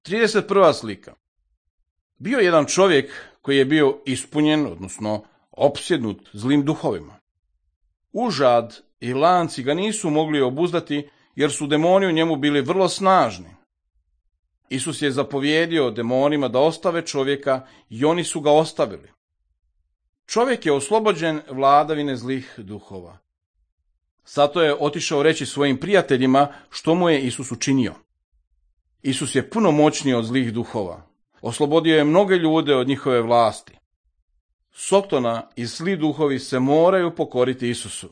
31. slika. Bio je jedan čovjek koji je bio ispunjen, odnosno opsjednut zlim duhovima. Užad i lanci ga nisu mogli obuzdati, jer su demoni u njemu bili vrlo snažni. Isus je zapovjedio demonima da ostave čovjeka i oni su ga ostavili. Čovjek je oslobođen vladavine zlih duhova. Zato je otišao reći svojim prijateljima što mu je Isus učinio. Isus je puno moćniji od zlih duhova. Oslobodio je mnoge ljude od njihove vlasti. Sotona i zli duhovi se moraju pokoriti Isusu.